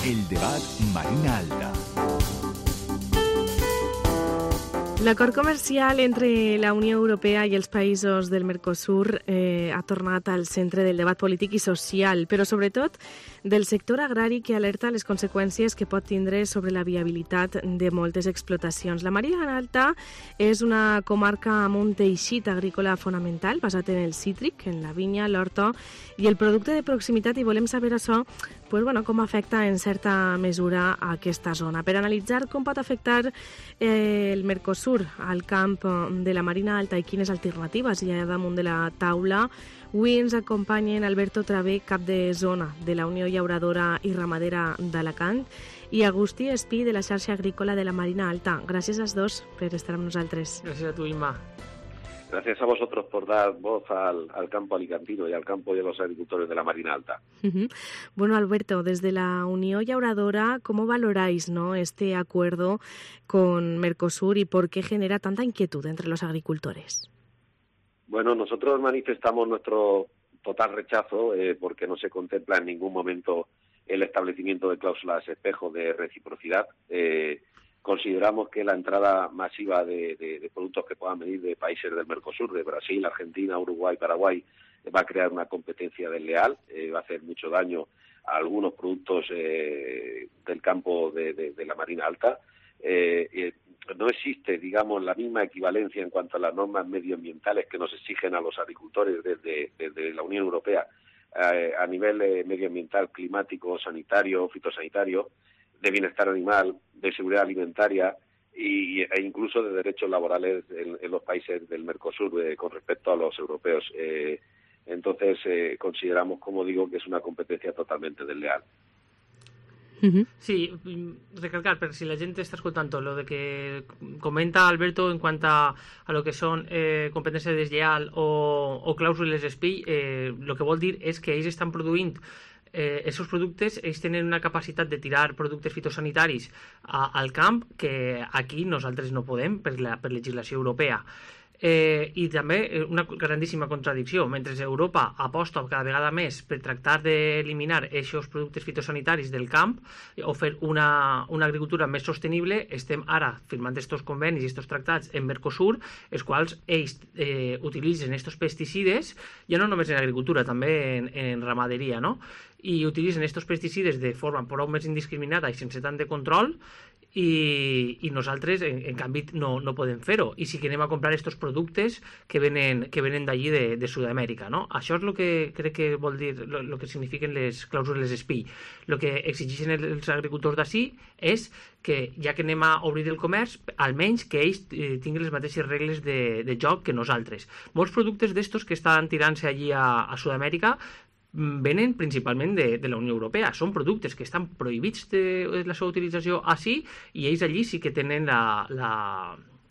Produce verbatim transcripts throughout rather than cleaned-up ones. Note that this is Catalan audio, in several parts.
El debat Marina Alta. L'acord comercial entre la Unió Europea i els països del Mercosur eh, ha tornat al centre del debat polític i social, però sobretot del sector agrari, que alerta les conseqüències que pot tindre sobre la viabilitat de moltes explotacions. La Marina Alta és una comarca amb un teixit agrícola fonamental basat en el cítric, en la vinya, l'horta i el producte de proximitat, i volem saber això, pues, bueno, com afecta en certa mesura a aquesta zona. Per analitzar com pot afectar eh, el Mercosur al camp de la Marina Alta i quines alternatives hi ha damunt de la taula, avui ens acompanyen Alberto Travé, cap de zona de la Unió Llauradora i Ramadera d'Alacant, i Agustí Espí, de la xarxa agrícola de la Marina Alta. Gràcies als dos per estar amb nosaltres. Gràcies a tu, Imma. Gracias a vosotros por dar voz al, al campo alicantino y al campo de los agricultores de la Marina Alta. Uh-huh. Bueno, Alberto, desde la Unión Llauradora, ¿cómo valoráis, ¿no?, este acuerdo con Mercosur y por qué genera tanta inquietud entre los agricultores? Bueno, nosotros manifestamos nuestro total rechazo eh, porque no se contempla en ningún momento el establecimiento de cláusulas espejo de reciprocidad. Eh, Consideramos que la entrada masiva de, de, de productos que puedan venir de países del Mercosur, de Brasil, Argentina, Uruguay, Paraguay, va a crear una competencia desleal, eh, va a hacer mucho daño a algunos productos eh, del campo de, de, de la Marina Alta. Eh, eh, no existe, digamos, la misma equivalencia en cuanto a las normas medioambientales que nos exigen a los agricultores desde, desde la Unión Europea eh, a nivel eh, medioambiental, climático, sanitario, fitosanitario, de bienestar animal, de seguridad alimentaria y, e incluso de derechos laborales en, en los países del Mercosur eh, con respecto a los europeos. Eh, entonces, eh, consideramos, como digo, que es una competencia totalmente desleal. Sí, recalcar, pero si la gente está escuchando lo de que comenta Alberto en cuanto a, a lo que son eh, competencia desleal o, o clàusules espi, eh, lo que vol dir és que ells estan produint Eh, esos productes, ells tenen una capacitat de tirar productes fitosanitaris a, al camp que aquí nosaltres no podem per la per legislació europea. Eh, i també una grandíssima contradicció. Mentre Europa aposta cada vegada més per tractar d'eliminar aquests productes fitosanitaris del camp o fer una, una agricultura més sostenible, estem ara firmant aquests convenis i aquests tractats en Mercosur, els quals ells eh, utilitzen aquests pesticides, ja no només en agricultura, també en, en ramaderia, no? I utilitzen aquests pesticides de forma prou més indiscriminada i sense tant de control, i, i nosaltres en, en canvi no, no podem fer-ho, i sí que anem a comprar aquests productes que venen, que venen d'allí de, de Sud-amèrica, no? Això és el que crec que vol dir, el que signifiquen les clàusules espi. El que exigeixen els agricultors d'ací és que, ja que anem a obrir el comerç, almenys que ells eh, tinguin les mateixes regles de, de joc que nosaltres. Molts productes d'estos que estan tirant-se allí a, a Sud-amèrica venen principalment de, de la Unió Europea. Són productes que estan prohibits de la seva utilització així, i ells allí sí que tenen la, la,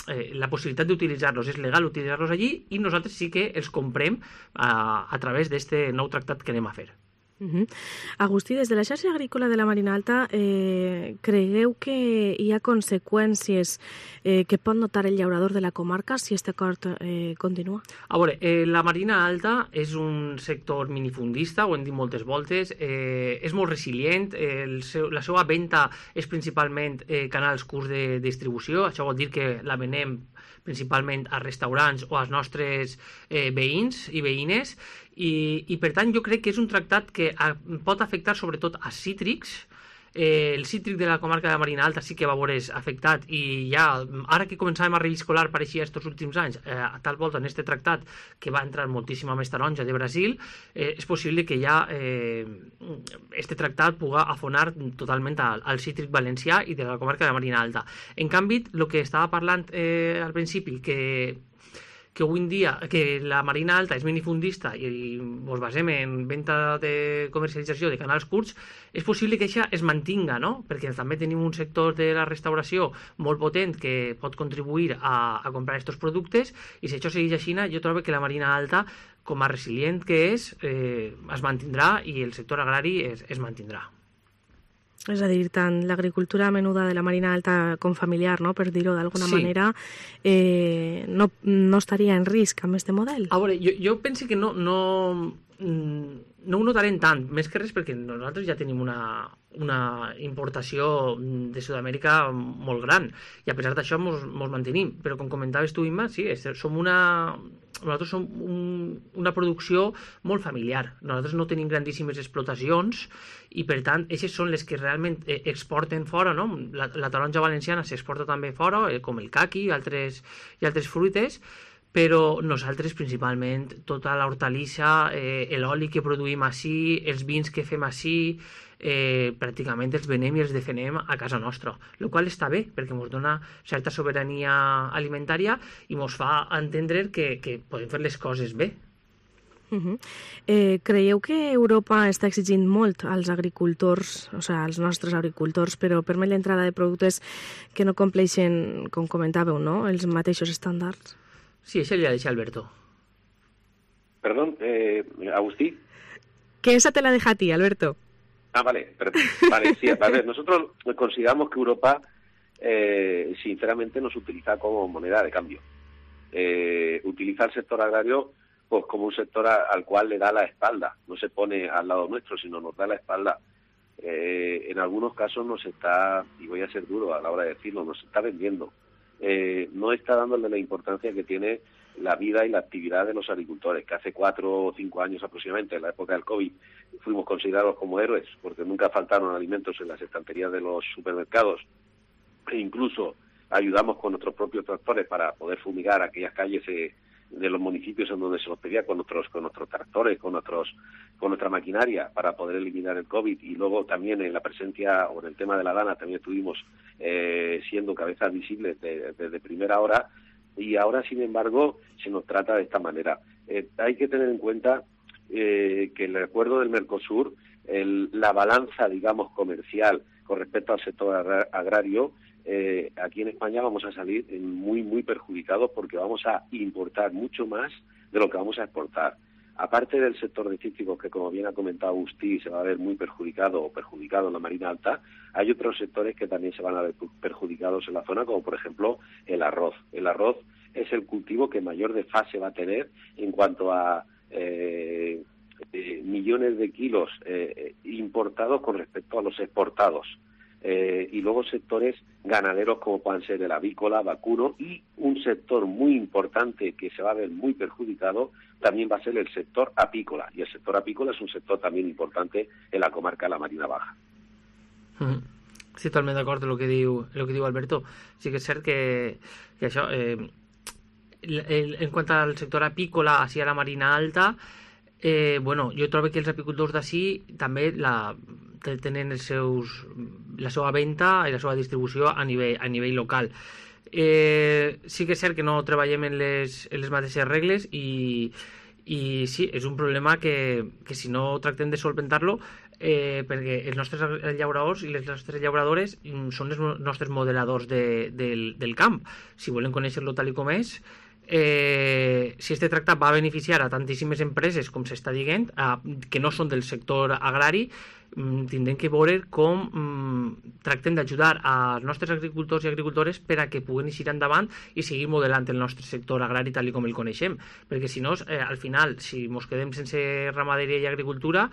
eh, la possibilitat d'utilitzar-los. És legal utilitzar-los allí i nosaltres sí que els comprem a, a través d'aquest nou tractat que anem a fer. Uh-huh. Agustí, des de la xarxa agrícola de la Marina Alta, eh, cregueu que hi ha conseqüències eh, que pot notar el llaurador de la comarca si aquest acord eh, continua? A veure, eh, la Marina Alta és un sector minifundista, ho hem dit moltes voltes, eh, és molt resilient, eh, el seu, la seva venda és principalment eh, canals curts de distribució, això vol dir que la venem principalment a restaurants o als nostres eh, veïns i veïnes, i, i per tant jo crec que és un tractat que a, pot afectar sobretot a cítrics. Eh, el cítric de la comarca de la Marina Alta sí que va veure's afectat, i ja ara que començàvem a reviscolar pareixia estos últims anys, eh, a tal volta en este tractat que va entrar moltíssima més taronja de Brasil, eh, és possible que ja eh, este tractat puga afonar totalment al, al cítric valencià i de la comarca de la Marina Alta. En canvi, el que estava parlant eh, al principi, que que avui en dia que la Marina Alta és minifundista i ens basem en venda de comercialització de canals curts, és possible que això es mantinga, no? Perquè també tenim un sector de la restauració molt potent que pot contribuir a, a comprar aquests productes, i si això segueix així, jo trobo que la Marina Alta, com a resilient que és, eh, es mantindrà, i el sector agrari es, es mantindrà. És a dir, tant l'agricultura menuda de la Marina Alta com familiar, no?, per dir-ho d'alguna sí. manera, eh, no, no estaria en risc amb aquest model? A veure, jo, jo penso que no, no, no ho notarem tant, més que res perquè nosaltres ja tenim una, una importació de Sud-amèrica molt gran i a pesar d'això mos, mos mantenim, però com comentaves tu, Imma, sí, és, som una nosaltres som un, una producció molt familiar, nosaltres no tenim grandíssimes explotacions i per tant, aquestes són les que realment exporten fora, no? La, la taronja valenciana s'exporta també fora, com el caqui i altres, i altres fruites, però nosaltres principalment tota l'hortalissa, eh, l'oli que produïm ací, els vins que fem ací, eh, pràcticament els venem i els defenem a casa nostra, el qual està bé perquè ens dona certa sobirania alimentària i ens fa entendre que, que podem fer les coses bé. Uh-huh. eh, creieu que Europa està exigint molt als agricultors, o sigui, als nostres agricultors, però permet l'entrada de productes que no compleixen, com comentàveu, no? Els mateixos estàndards? Sí, esa le ha dicho Alberto. Perdón, eh, Agustí. Que esa te la deja a ti, Alberto. Ah, vale, perdón. Vale, sí, a ver, nosotros consideramos que Europa, eh, sinceramente, nos utiliza como moneda de cambio. Eh, utiliza el sector agrario pues como un sector a, al cual le da la espalda. No se pone al lado nuestro, sino nos da la espalda. Eh, en algunos casos nos está, y voy a ser duro a la hora de decirlo, nos está vendiendo. Eh, no está dándole la importancia que tiene la vida y la actividad de los agricultores, que hace cuatro o cinco años aproximadamente, en la época del COVID, fuimos considerados como héroes, porque nunca faltaron alimentos en las estanterías de los supermercados, e incluso ayudamos con nuestros propios tractores para poder fumigar aquellas calles eh, de los municipios en donde se los pedía con nuestros con nuestros tractores, con nuestros con nuestra maquinaria para poder eliminar el COVID, y luego también en la presencia o en el tema de la dana también estuvimos eh, siendo cabezas visibles desde de, de primera hora, y ahora sin embargo se nos trata de esta manera. Eh, hay que tener en cuenta eh, que el acuerdo del Mercosur, el, la balanza digamos comercial con respecto al sector agra- agrario, Eh, aquí en España vamos a salir muy muy perjudicados porque vamos a importar mucho más de lo que vamos a exportar. Aparte del sector de cítricos, que como bien ha comentado Agustí, se va a ver muy perjudicado o perjudicado en la Marina Alta, hay otros sectores que también se van a ver perjudicados en la zona, como por ejemplo el arroz. El arroz es el cultivo que mayor desfase va a tener en cuanto a eh, eh, millones de kilos eh, importados con respecto a los exportados. Eh, y luego sectores ganaderos como puedan ser el avícola, vacuno, y un sector muy importante que se va a ver muy perjudicado también va a ser el sector apícola, y el sector apícola es un sector también importante en la comarca de la Marina Baja. Sí, totalment d'acord amb el que diu, el que diu Alberto. Sí que és cert que, que això, eh, el, en quant al sector apícola així a la Marina Alta, eh, bueno, jo trobo que els apicultors d'ací també la tenen els seus, la seva venda i la seva distribució a nivell, a nivell local. Eh, sí que és cert que no treballem en les, en les mateixes regles i, i sí, és un problema que, que si no tractem de solventar-lo, eh, perquè els nostres llauradors i les nostres llauradores són els nostres modeladors de, del, del camp. Si volen conèixer-lo tal i com és, Eh, si este tractat va a beneficiar a tantíssimes empreses, com s'està dient, a, que no són del sector agrari, mm, tindrem que veure com mm, tractem d'ajudar als nostres agricultors i agricultores per a que puguen eixir endavant i seguir modelant el nostre sector agrari tal com el coneixem, perquè si no, eh, al final, si ens quedem sense ramaderia i agricultura,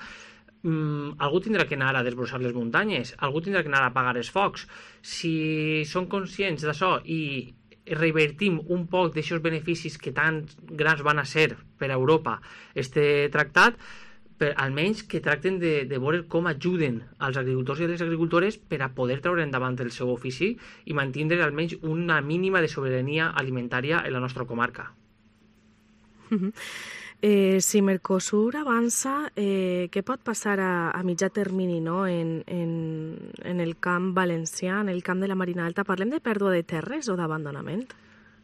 mm, algú tindrà que anar a desbrossar les muntanyes, algú tindrà que anar a apagar els focs. Si són conscients d'això i revertim un poc d'aixòs beneficis que tan grans van a ser per a Europa este tractat, per, almenys que tracten de, de veure com ajuden als agricultors i a les agricultores per a poder treure endavant el seu ofici i mantindre almenys una mínima de sobirania alimentària en la nostra comarca. Uh-huh. Eh, si Mercosur avança, eh, què pot passar a, a mitjà termini, no? en, en, en el camp valencià, en el camp de la Marina Alta? Parlem de pèrdua de terres o d'abandonament?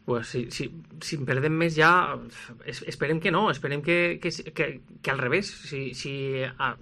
Pues si, si, si en perdem més ja, esperem que no, esperem que, que, que, que al revés. Si, si ah,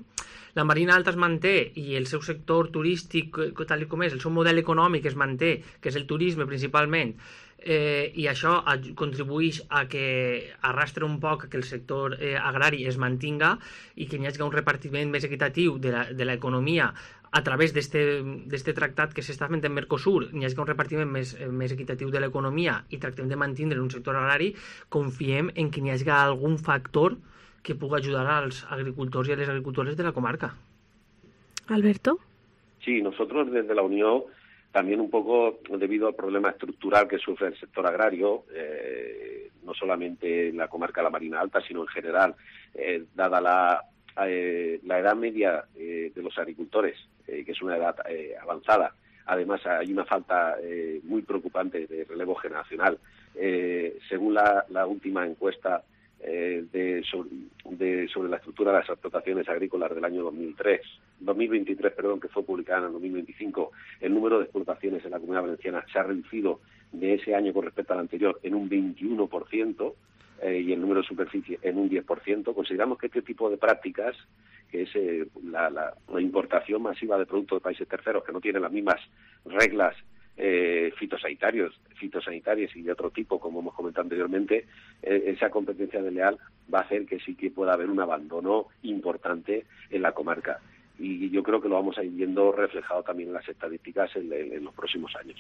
la Marina Alta es manté i el seu sector turístic, tal com és, el seu model econòmic es manté, que és el turisme principalment, Eh, i això contribueix a que arrastre un poc que el sector eh, agrari es mantinga i que hi hagi un repartiment més equitatiu de l'economia a través d'aquest tractat que s'està fent en Mercosur, hi hagi un repartiment més, més equitatiu de l'economia i tractem de mantenir un sector agrari, confiem en que hi hagi algun factor que puga ayudar als agricultors i a les agricultores de la comarca. Alberto. Sí, nosotros desde la Unión, también un poco debido al problema estructural que sufre el sector agrario, eh, no solamente en la comarca de la Marina Alta, sino en general, eh, dada la, eh, la edad media eh, de los agricultores, eh, que es una edad eh, avanzada. Además, hay una falta eh, muy preocupante de relevo generacional. Eh, según la, la última encuesta eh, de, sobre, de, sobre la estructura de las explotaciones agrícolas del año dos mil tres, dos mil veintitrés, perdón, que fue publicada en el dos mil veinticinco, el número de explotaciones en la Comunidad Valenciana se ha reducido de ese año con respecto al anterior en un veintiuno por ciento eh, y el número de superficie en un diez por ciento. Consideramos que este tipo de prácticas, que es eh, la, la, la importación masiva de productos de países terceros que no tienen las mismas reglas eh, fitosanitarios, fitosanitarias y de otro tipo, como hemos comentado anteriormente, eh, esa competencia desleal va a hacer que sí que pueda haber un abandono importante en la comarca. Y yo creo que lo vamos a ir viendo reflejado también en las estadísticas en, en, en los próximos años.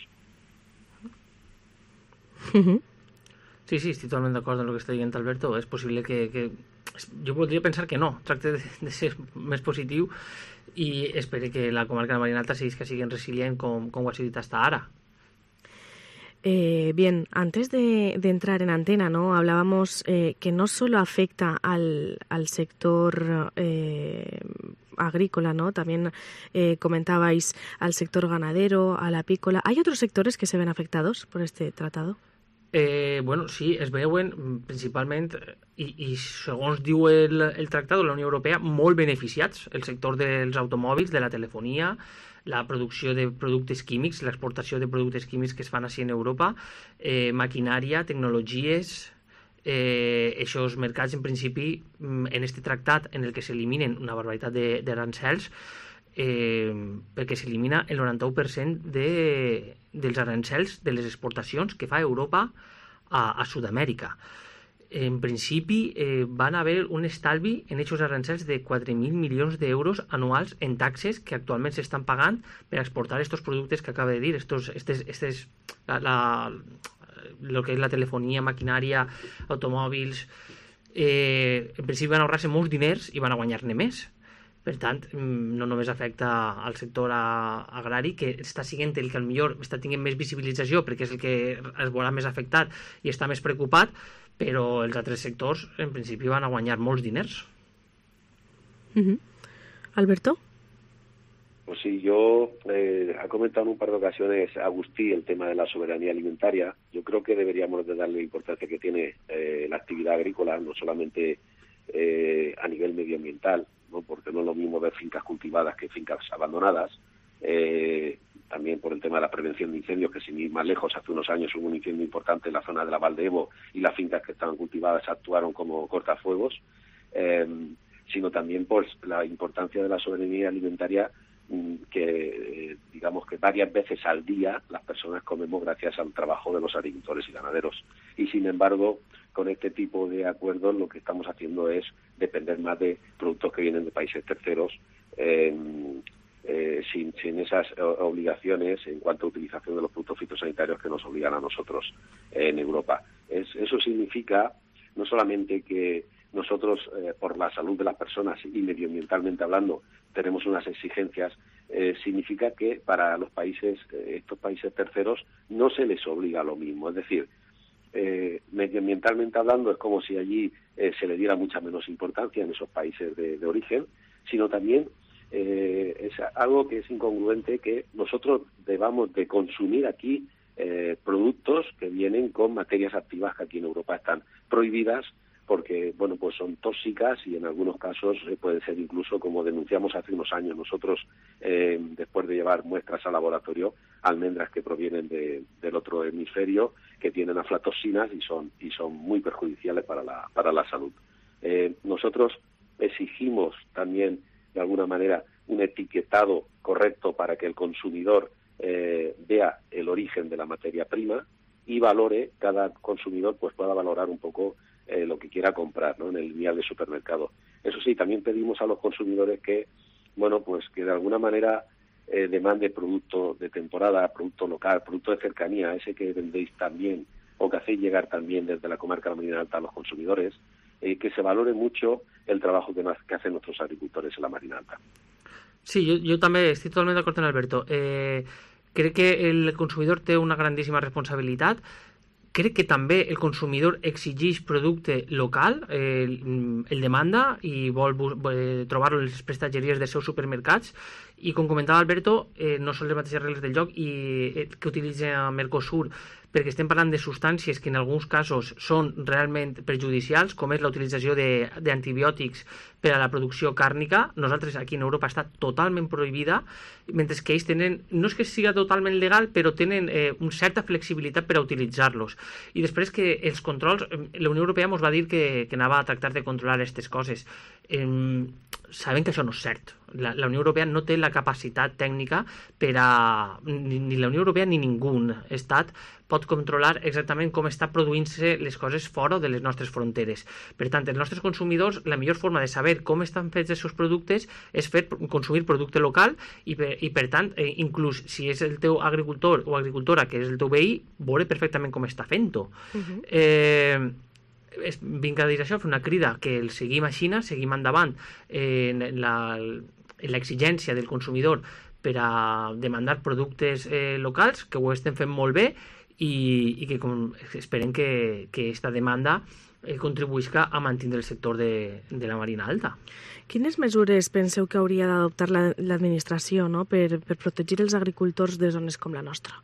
Sí, sí, estic totalment d'acord amb el que està dient Alberto. És possible que, que... Jo voldria pensar que no, tracte de, de ser més positiu i espero que la comarca de la Marina Alta sigui que sigui resilient com, com ho ha sigut hasta ara. Eh, bien, antes de, de entrar en antena, ¿no? Hablábamos eh, que no solo afecta al, al sector eh, agrícola, ¿no? También eh, comentabais al sector ganadero, al apícola. ¿Hay otros sectores que se ven afectados por este tratado? Eh, bueno, sí, es veuen principalment, i, i segons diu el, el tractat de la Unió Europea, molt beneficiats, el sector dels automòbils, de la telefonia, la producció de productes químics, l'exportació de productes químics que es fan així en Europa, eh, maquinària, tecnologies, eh, aquests mercats, en principi, en este tractat en el que s'eliminen una barbaritat d'arancels, Eh, perquè s'elimina el noranta-u per cent de, dels arancels de les exportacions que fa Europa a, a Sud-amèrica. En principi eh, van haver un estalvi en aquests arancels de quatre mil milions d'euros anuals en taxes que actualment s'estan pagant per exportar aquests productes que acaba de dir, estos, estes, estes, la, la, lo que és la telefonia, maquinària, automòbils. Eh, en principi van ahorrar-se molts diners i van a guanyar-ne més. Per tant, no només afecta al sector agrari, que està sent el que potser està tenint més visibilització perquè és el que es veurà més afectat i està més preocupat, però els altres sectors, en principi, van a guanyar molts diners. Uh-huh. Alberto? Pues sí, yo eh, ha comentado en un par de ocasiones Agustí el tema de la soberanía alimentaria. Yo creo que deberíamos de darle la importancia que tiene eh, la actividad agrícola, no solamente eh, a nivel medioambiental, ¿no? Porque no es lo mismo ver fincas cultivadas que fincas abandonadas, eh, también por el tema de la prevención de incendios, que sin ir más lejos, hace unos años hubo un incendio importante en la zona de la Valdevo y las fincas que estaban cultivadas actuaron como cortafuegos, eh, sino también por la importancia de la soberanía alimentaria, que eh, digamos que varias veces al día las personas comemos gracias al trabajo de los agricultores y ganaderos. Y sin embargo, con este tipo de acuerdos lo que estamos haciendo es depender más de productos que vienen de países terceros, eh, eh, sin, sin esas obligaciones en cuanto a utilización de los productos fitosanitarios que nos obligan a nosotros eh, en Europa. Es, eso significa no solamente que nosotros, eh, por la salud de las personas y medioambientalmente hablando, tenemos unas exigencias, eh, significa que para los países, eh, estos países terceros, no se les obliga lo mismo. Es decir, eh, medioambientalmente hablando, es como si allí eh, se le diera mucha menos importancia en esos países de, de origen, sino también eh, es algo que es incongruente que nosotros debamos de consumir aquí eh, productos que vienen con materias activas que aquí en Europa están prohibidas, porque bueno, pues son tóxicas y en algunos casos eh, puede ser incluso, como denunciamos hace unos años nosotros, eh, después de llevar muestras al laboratorio, almendras que provienen de, del otro hemisferio, que tienen aflatoxinas y son y son muy perjudiciales para la para la salud. Eh, nosotros exigimos también, de alguna manera, un etiquetado correcto para que el consumidor eh, vea el origen de la materia prima y valore, cada consumidor pues pueda valorar un poco Eh, lo que quiera comprar, ¿no? En el vial de supermercado. Eso sí, también pedimos a los consumidores que, bueno, pues que de alguna manera eh, demande producto de temporada, producto local, producto de cercanía, ese que vendéis también o que hacéis llegar también desde la comarca de la Marina Alta a los consumidores, eh, que se valore mucho el trabajo que, que hacen nuestros agricultores en la Marina Alta. Sí, jo, jo també estic totalment d'acord amb Alberto. Eh, crec que el consumidor té una grandíssima responsabilitat. Crec que també el consumidor exigeix producte local, eh, el demanda i vol eh, trobar-lo en les prestatgeries dels seus supermercats, i com comentava Alberto, eh, no són les mateixes regles del joc i, eh, que utilitza Mercosur, perquè estem parlant de substàncies que en alguns casos són realment perjudicials, com és la utilització d'antibiòtics per a la producció càrnica. Nosaltres aquí en Europa està totalment prohibida, mentre que ells tenen, no és que siga totalment legal, però tenen eh, una certa flexibilitat per a utilitzar-los. I després que els controls, la Unió Europea ens va dir que, que anava a tractar de controlar aquestes coses. Eh, sabem que això no és cert. La, la Unió Europea no té la capacitat tècnica per a... Ni, ni la Unió Europea ni ningú estat pot controlar exactament com està produint-se les coses fora de les nostres fronteres. Per tant, els nostres consumidors, la millor forma de saber com estan fets els seus productes és fer consumir producte local i, per, i per tant, eh, inclús si és el teu agricultor o agricultora que és el teu veí, veure perfectament com està fent-ho. Uh-huh. Eh... vinc a dir això, fer una crida que el seguim a Xina, seguim endavant en l'exigència del consumidor per a demandar productes eh, locals, que ho estem fent molt bé i, i que com, esperem que, que esta demanda eh, contribuïsca a mantenir el sector de, de la Marina Alta. Quines mesures penseu que hauria d'adoptar l'administració, no?, per, per protegir els agricultors de zones com la nostra?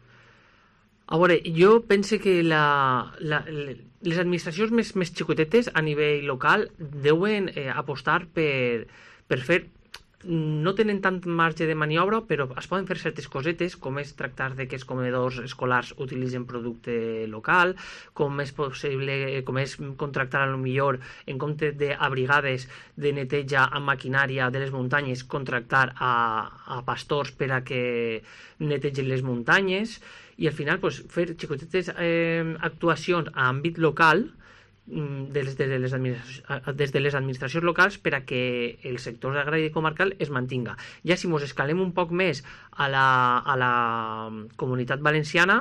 A veure, jo penso que la, la, les administracions més, més xicotetes a nivell local deuen eh, apostar per, per fer... No tenen tant marge de maniobra, però es poden fer certes cosetes, com és tractar de que els comedors escolars utilitzen producte local, com és possible, com és contractar a lo millor, en compte de a brigades de neteja amb maquinària de les muntanyes, contractar a, a pastors per a que netegen les muntanyes, i al final pues, fer xicotetes eh, actuacions a àmbit local des de, les des de les administracions locals per a que el sector agrari comarcal es mantinga. Ja si mos escalem un poc més a la, a la comunitat valenciana,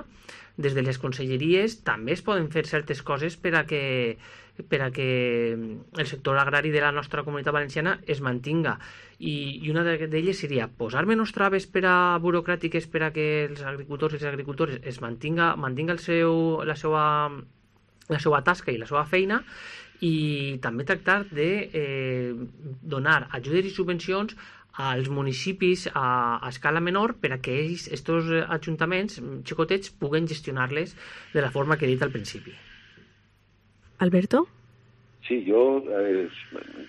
des de les conselleries també es poden fer certes coses per a que, per a que el sector agrari de la nostra comunitat valenciana es mantinga. I, i una d'elles seria posar menys traves per a burocràtiques per a que els agricultors i les agricultores es mantinga, mantinga el seu, la seva la seva tasca i la seva feina, i també tractar de eh, donar ajudes i subvencions als municipis a, a escala menor per a que ells, estos ajuntaments xicotets, puguen gestionar-les de la forma que he dit al principi. Alberto? Sí, yo eh,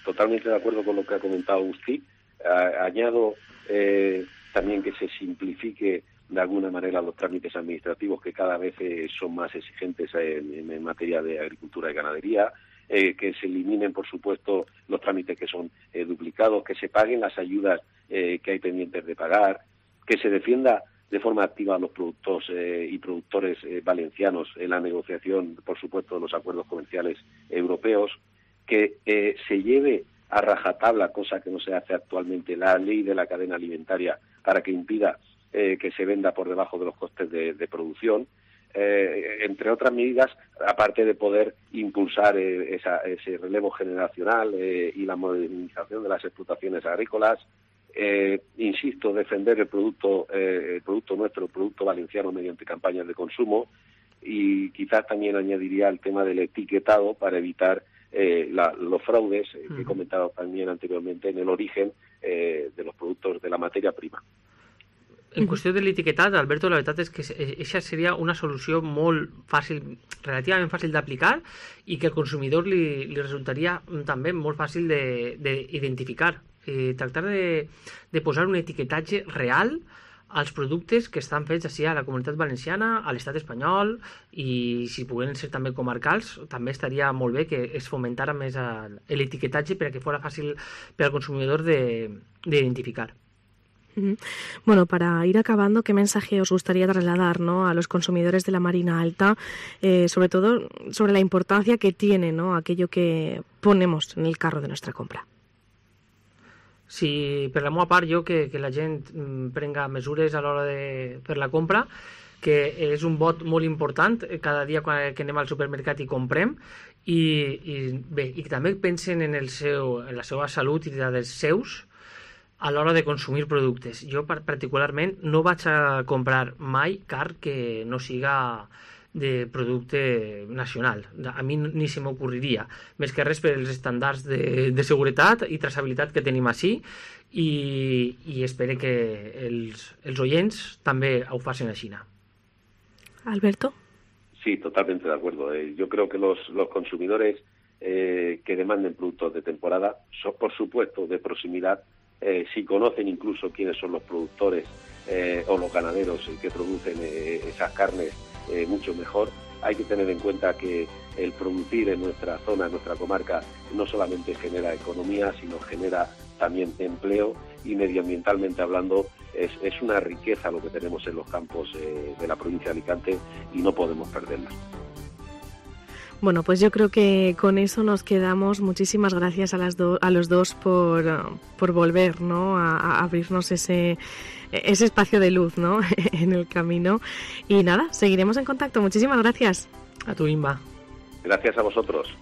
totalmente de acuerdo con lo que ha comentado Agustí. Eh, añado eh, también que se simplifique de alguna manera los trámites administrativos que cada vez eh, son más exigentes en, en materia de agricultura y ganadería, eh, que se eliminen, por supuesto, los trámites que son eh, duplicados, que se paguen las ayudas eh, que hay pendientes de pagar, que se defienda de forma activa a los productos eh, y productores eh, valencianos en la negociación, por supuesto, de los acuerdos comerciales europeos, que eh, se lleve a rajatabla, cosa que no se hace actualmente, la ley de la cadena alimentaria para que impida Eh, que se venda por debajo de los costes de, de producción, eh, entre otras medidas, aparte de poder impulsar eh, esa, ese relevo generacional eh, y la modernización de las explotaciones agrícolas. Eh, insisto, defender el producto, eh, el producto nuestro, el producto valenciano mediante campañas de consumo, y quizás también añadiría el tema del etiquetado para evitar eh, la, los fraudes eh, que he comentado también anteriormente en el origen eh, de los productos de la materia prima. En qüestió de l'etiquetat, Alberto, la veritat és que això seria una solució molt fàcil, relativament fàcil d'aplicar, i que al consumidor li, li resultaria també molt fàcil d'identificar. Eh, tractar de, de posar un etiquetatge real als productes que estan fets així a la comunitat valenciana, a l'estat espanyol, i si pogueren ser també comarcals, també estaria molt bé que es fomentara més l'etiquetatge per a que fos fàcil per al consumidor d'identificar. Bueno, para ir acabando, ¿qué mensaje os gustaría trasladar, ¿no?, a los consumidores de la Marina Alta, eh, sobre todo sobre la importancia que tiene, ¿no?, aquello que ponemos en el carro de nuestra compra? Sí, per la meva part, jo que, que la gent prenga mesures a l'hora de fer la compra, que és un vot molt important cada dia quan, que anem al supermercat i comprem, i, i bé, i també pensen en, el seu, en la seva salut i la dels seus a l'hora de consumir productes. Jo particularment no vaig a comprar mai car que no siga de producte nacional. A mi ni se m'ocorriria, més que res per els estàndards de, de seguretat i traçabilitat que tenim així, i, i espero que els, els oients també ho facin així. Alberto. Sí, totalmente de acuerdo. Eh, yo creo que los, los consumidores eh, que demanden productos de temporada son, por supuesto, de proximidad. Eh, si conocen incluso quiénes son los productores eh, o los ganaderos que producen eh, esas carnes, eh, mucho mejor. Hay que tener en cuenta que el producir en nuestra zona, en nuestra comarca, no solamente genera economía, sino genera también empleo, y medioambientalmente hablando es, es una riqueza lo que tenemos en los campos eh, de la provincia de Alicante, y no podemos perderla. Bueno, pues yo creo que con eso nos quedamos. Muchísimas gracias a las do- a los dos por, por volver, ¿no?, a, a abrirnos ese, ese espacio de luz, ¿no?, en el camino. Y nada, seguiremos en contacto. Muchísimas gracias. A tu, Inma. Gracias a vosotros.